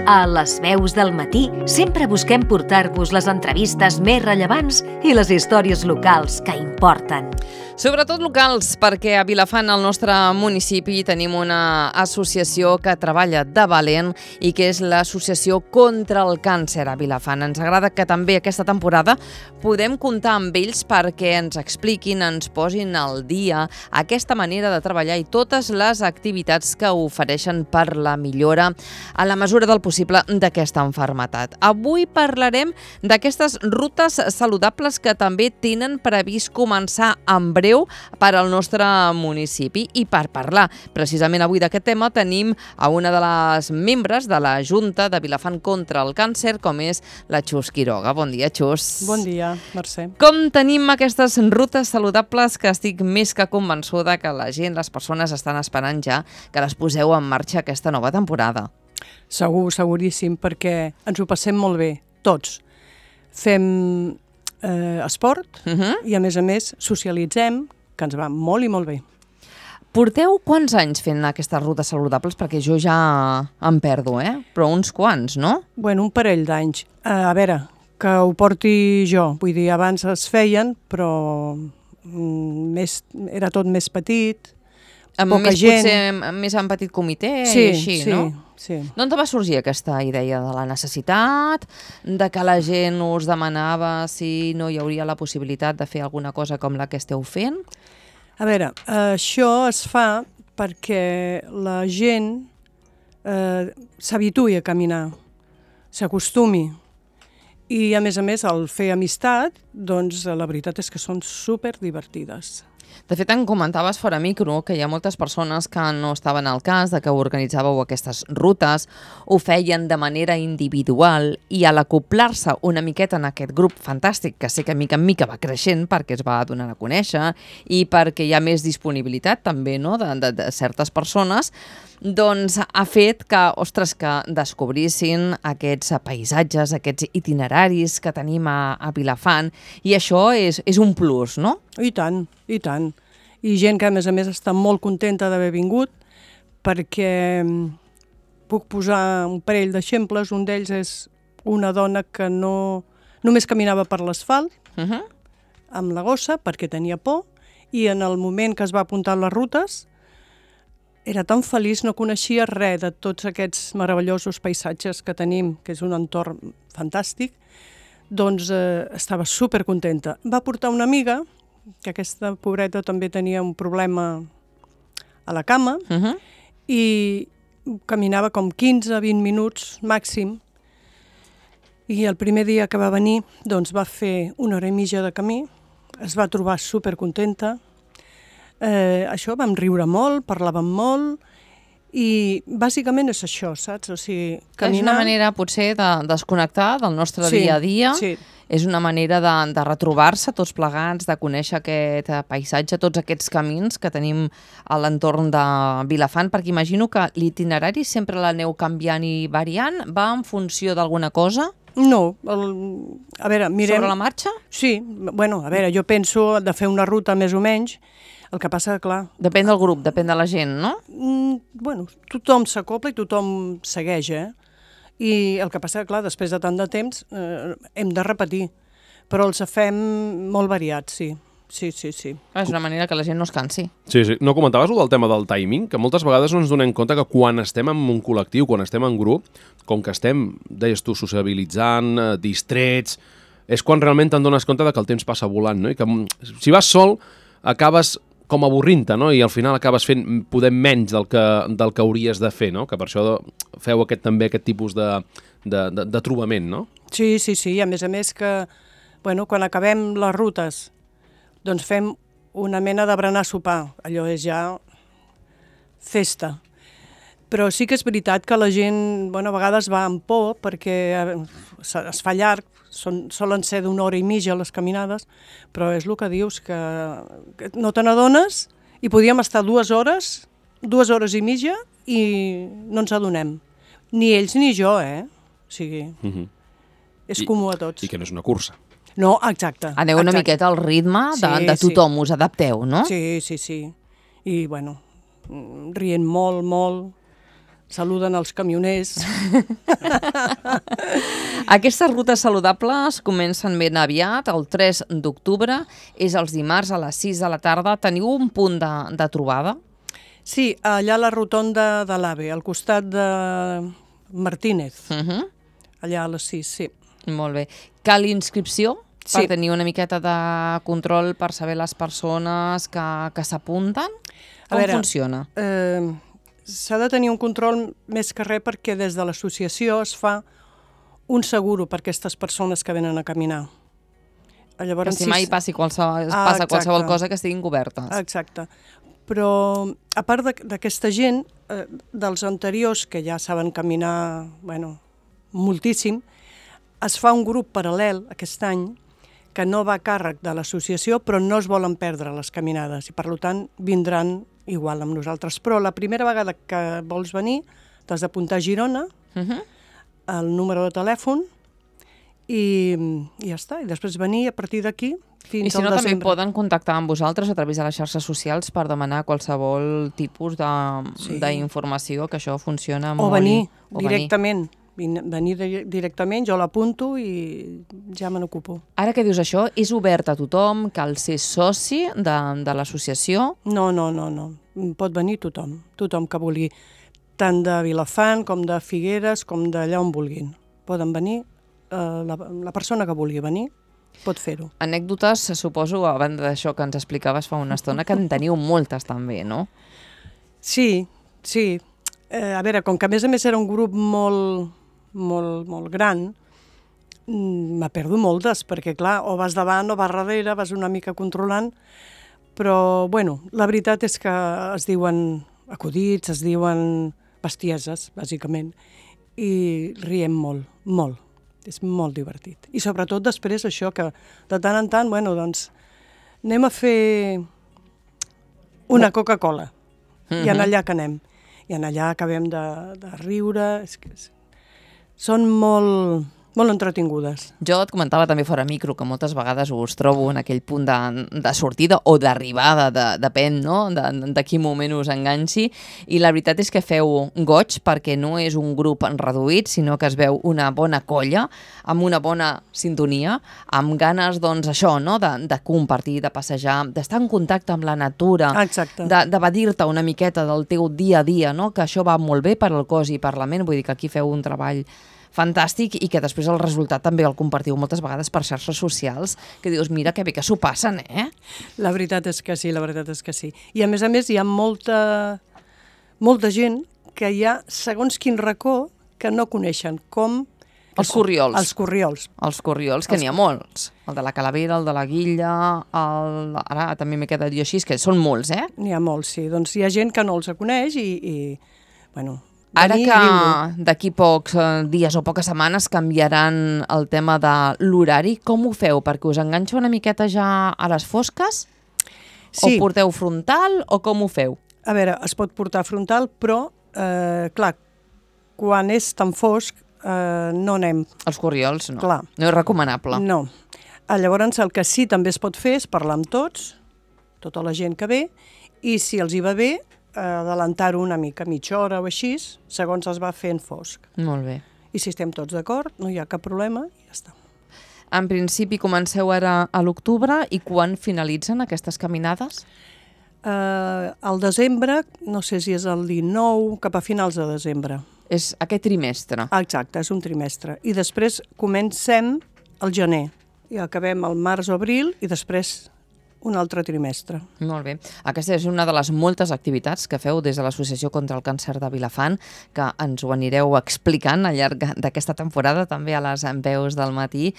A Les Veus del Matí sempre busquem portar-vos les entrevistes més rellevants i les històries locals que importen. Sobretot locals, perquè a Vilafant, al nostre municipi, tenim una associació que treballa de valent i que és l'Associació contra el Càncer a Vilafant. Ens agrada que també aquesta temporada podem comptar amb ells perquè ens expliquin, ens posin al dia aquesta manera de treballar i totes les activitats que ofereixen per la millora a la mesura del possible d'aquesta malaltia. Avui parlarem d'aquestes rutes saludables que també tenen previst començar en breu per al nostre municipi. I per parlar precisament avui d'aquest tema tenim a una de les membres de la Junta de Vilafant contra el Càncer, com és la Xus Quiroga. Bon dia, Xus. Bon dia, Mercè. Com tenim aquestes rutes saludables que estic més que convençuda que la gent, les persones estan esperant ja que les poseu en marxa aquesta nova temporada? Segur, seguríssim, perquè ens ho passem molt bé, tots. Fem esport i, a més, socialitzem, que ens va molt i molt bé. Porteu quants anys fent aquestes rutes saludables? Perquè jo ja em perdo, Però uns quants, no? Bueno, un parell d'anys. A veure, que ho porti jo. Vull dir, abans es feien, però era tot més petit, poca gent. Potser més en petit comitè sí, i així, sí, no? Sí. D'on va sorgir aquesta idea de la necessitat, de que la gent us demanava si no hi hauria la possibilitat de fer alguna cosa com la que esteu fent? A veure, això es fa perquè la gent s'habituï a caminar, s'acostumi. I, a més, al fer amistat, doncs la veritat és que són superdivertides. De fet, em comentaves fora micro que hi ha moltes persones que no estaven al cas de que organitzàveu aquestes rutes, ho feien de manera individual i a l'acoplar-se una miqueta en aquest grup fantàstic, que sé que mica en mica va creixent perquè es va donar a conèixer i perquè hi ha més disponibilitat també, no?, de certes persones, doncs ha fet que, ostres, que descobrissin aquests paisatges, aquests itineraris que tenim a Vilafant, i això és un plus, no? I tant, i tant. I gent que, a més, està molt contenta d'haver vingut, perquè puc posar un parell d'exemples. Un d'ells és una dona que només caminava per l'asfalt, amb la gossa, perquè tenia por, i en el moment que es va apuntar a les rutes, era tan feliç, no coneixia res de tots aquests meravellosos paisatges que tenim, que és un entorn fantàstic, doncs estava supercontenta. Va portar una amiga, que aquesta pobreta també tenia un problema a la cama, i caminava com 15-20 minuts màxim, i el primer dia que va venir doncs va fer 1 hora i mitja de camí, es va trobar supercontenta. Això, vam riure molt, parlàvem molt, i bàsicament és això, saps? O sigui, caminar... És una manera, potser, de desconnectar del nostre dia a dia. Sí. És una manera de retrobar-se tots plegats, de conèixer aquest paisatge, tots aquests camins que tenim a l'entorn de Vilafant, perquè imagino que l'itinerari sempre l'aneu canviant i variant. Va en funció d'alguna cosa? No, a veure, mirem... Sobre la marxa? Sí, bueno, a veure, jo penso de fer una ruta més o menys. El que passa, clar... Depèn del grup, depèn de la gent, no? Bueno, tothom s'acopla i tothom segueix, I el que passa, clar, després de tant de temps hem de repetir, però els fem molt variats, sí. Sí. És una manera que la gent no es cansi. Sí. No comentaves del tema del timing? Que moltes vegades no ens donem compte que quan estem en un col·lectiu, quan estem en grup, com que estem, deies tu, sociabilitzant, distrets, és quan realment te'n dones compte que el temps passa volant, no? I que si vas sol, acabes com avorrint-te, no? I al final acabes fent poder menys del que hauries de fer, no? Que per això feu també aquest tipus de trobament, no? Sí, i a més que, bueno, quan acabem les rutes, doncs fem una mena de berenar sopar, allò és ja festa. Però sí que és veritat que la gent, bueno, a vegades va amb por perquè es fa llarg, solen ser d'1 hora i mitja les caminades, però és el que dius, que no te n'adones i podíem estar 2 hores, 2 hores i mitja i no ens adonem. Ni ells ni jo, O sigui, és comú a tots. I que no és una cursa. No, exacte. Aneu una miqueta al ritme de tothom, us adapteu, no? Sí. I, bueno, rient molt, saluden els camioners. Aquestes rutes saludables comencen ben aviat, el 3 d'octubre, és els dimarts a les 6 de la tarda. Teniu un punt de trobada? Sí, allà a la rotonda de l'AVE, al costat de Martínez, allà a les 6, sí. Molt bé. Cal inscripció per Sí. tenir una miqueta de control per saber les persones que s'apunten? Com funciona? S'ha de tenir un control més que res perquè des de l'associació es fa un seguro per aquestes persones que venen a caminar. Llavors, que si mai passa exacte. qualsevol cosa que estiguin cobertes. Exacte. Però, a part d'aquesta gent, dels anteriors, que ja saben caminar, bueno, moltíssim, es fa un grup paral·lel aquest any que no va a càrrec de l'associació, però no es volen perdre les caminades i, per tant, vindran igual amb nosaltres. Però la primera vegada que vols venir, t'has d'apuntar a Girona, el número de telèfon, i ja està. I després venir a partir d'aquí fins I si al no, també desembre. poden contactar amb vosaltres a través de les xarxes socials per demanar qualsevol tipus d'informació, que això funciona molt. O venir directament. Venir directament, jo l'apunto i ja me n'ocupo. Ara que dius això, és obert a tothom? Cal ser soci de l'associació? No. Pot venir tothom que vulgui, tant de Vilafant com de Figueres, com d'allà on vulguin. Poden venir, la persona que vulgui venir pot fer-ho. Anècdotes, suposo, a banda d'això que ens explicaves fa una estona, que en teniu moltes també, no? Sí. A veure, com que a més era un grup molt gran, me perdo moltes, perquè clar, o vas davant o vas darrere, vas una mica controlant, però bueno, la veritat és que es diuen acudits, es diuen bestieses, bàsicament, i riem molt. És molt divertit. I sobretot després això, que de tant en tant, bueno, doncs, anem a fer una Coca-Cola, i en allà que anem. I en allà acabem de riure, són molt entretingudes. Jo et comentava també fora micro que moltes vegades us trobo en aquell punt de sortida o d'arribada, depèn, no?, de quin moment us enganxi, i la veritat és que feu goig perquè no és un grup reduït, sinó que es veu una bona colla, amb una bona sintonia, amb ganes, doncs, això, no?, de compartir, de passejar, d'estar en contacte amb la natura, d'evadir-te una miqueta del teu dia a dia, no?, que això va molt bé per al cos i per la ment, vull dir que aquí feu un treball fantàstic i que després el resultat també el compartiu moltes vegades per xarxes socials, que dius, mira que bé que s'ho passen, eh? La veritat és que sí. I a més hi ha molta gent que hi ha segons quin racó que no coneixen, com els corriols. Els corriols. Els corriols, que n'hi ha molts. El de la Calavera, el de la Guilla, ara també m'he quedat jo així, que són molts, eh? N'hi ha molts, sí. Doncs hi ha gent que no els coneix i bueno... Ara que d'aquí pocs dies o poques setmanes canviaran el tema de l'horari, com ho feu? Perquè us enganxa una miqueta ja a les fosques? Sí. O porteu frontal o com ho feu? A veure, es pot portar frontal, però, clar, quan és tan fosc, no anem. Els corriols, no. Clar. No és recomanable. No. Llavors, el que sí també es pot fer és parlar amb tots, tota la gent que ve, i si els hi va bé, adelantar-ho una mica, mitja hora o així, segons es va fent fosc. Molt bé. I si estem tots d'acord, no hi ha cap problema i ja està. En principi comenceu ara a l'octubre i quan finalitzen aquestes caminades? Al desembre, no sé si és el 19, cap a finals de desembre. És aquest trimestre. Exacte, és un trimestre. I després comencem el gener i acabem el març o abril i després un altre trimestre. Molt bé. Aquesta és una de les moltes activitats que feu des de l'Associació contra el Càncer de Vilafant, que ens ho anireu explicant al llarg d'aquesta temporada, també a les veus del matí,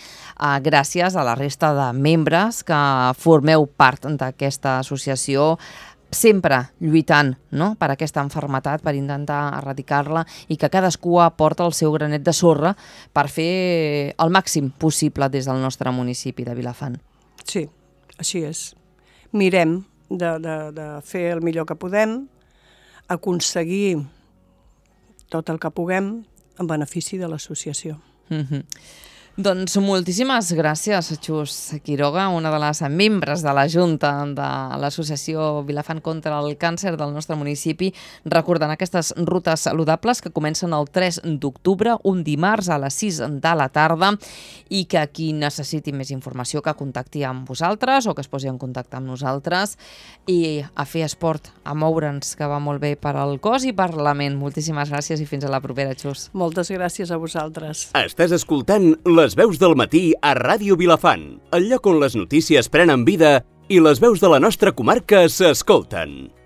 gràcies a la resta de membres que formeu part d'aquesta associació, sempre lluitant, no?, per aquesta malaltia, per intentar erradicar-la, i que cadascú aporta el seu granet de sorra per fer el màxim possible des del nostre municipi de Vilafant. Sí. Així és. Mirem de fer el millor que podem, aconseguir tot el que puguem en benefici de l'associació. Doncs moltíssimes gràcies, Xus Quiroga, una de les membres de la Junta de l'Associació Vilafant contra el Càncer del nostre municipi, recordant aquestes rutes saludables que comencen el 3 d'octubre, un dimarts a les 6 de la tarda, i que qui necessiti més informació que contacti amb vosaltres o que es posi en contacte amb nosaltres, i a fer esport, a moure'ns, que va molt bé per al cos i per la ment. Moltíssimes gràcies i fins a la propera, Xus. Moltes gràcies a vosaltres. Estàs escoltant Les veus del matí a Ràdio Vilafant, el lloc on les notícies prenen vida i les veus de la nostra comarca s'escolten.